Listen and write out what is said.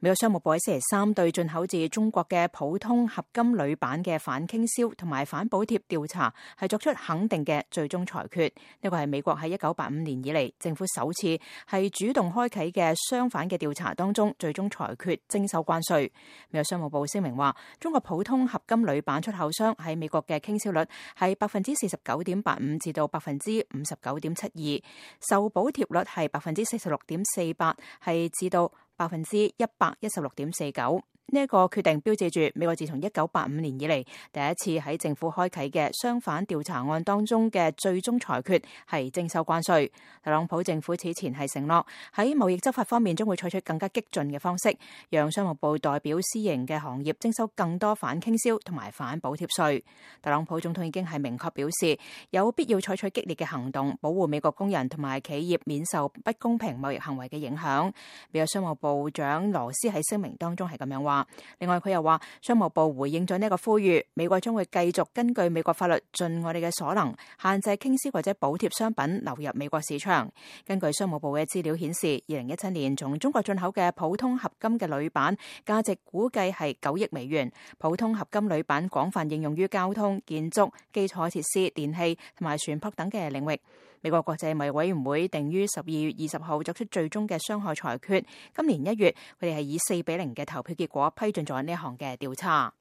美國商務部喺星期三對進口自中國嘅普通合金鋁板嘅反傾銷同埋反補貼調查係作出肯定嘅最終裁決。呢個係美國喺1985年以嚟政府首次係主動開啟嘅相反嘅調查當中，最終裁決徵收關稅。美國商務部聲明話，中國普通合金鋁板出口商喺美國嘅傾銷率係49.85%至到59.72%，受補貼率係46.48%，係至到116.49%。呢一個決定標誌住美國自從1985年以嚟第一次喺政府開啟嘅相反調查案當中嘅最終裁決係徵收關稅。特朗普政府此前係承諾喺貿易執法方面將會採取更加激進嘅方式，讓商務部代表私營嘅行業徵收更多反傾銷同埋反補貼稅。特朗普總統已經係明確表示有必要採取激烈嘅行動，保護美國工人同埋企業免受不公平貿易行為嘅影響。美國商務部長羅斯喺聲明當中係咁樣話。另外佢又話，商務部回應咗呢個呼籲，美國將會繼續根據美國法律盡我哋嘅所能，限制傾銷或者補貼商品流入美國市場。根據商務部嘅資料顯示，2017年從中國進口嘅普通合金嘅鋁板價值估計係9億美元。普通合金鋁板廣泛應用於交通、建築、基礎設施、電器同埋船舶等嘅領域。美國國際貿易委員會定於12月20號作出最終嘅傷害裁決。今年1月，佢哋係以4-0嘅投票結果批准咗呢一項嘅調查。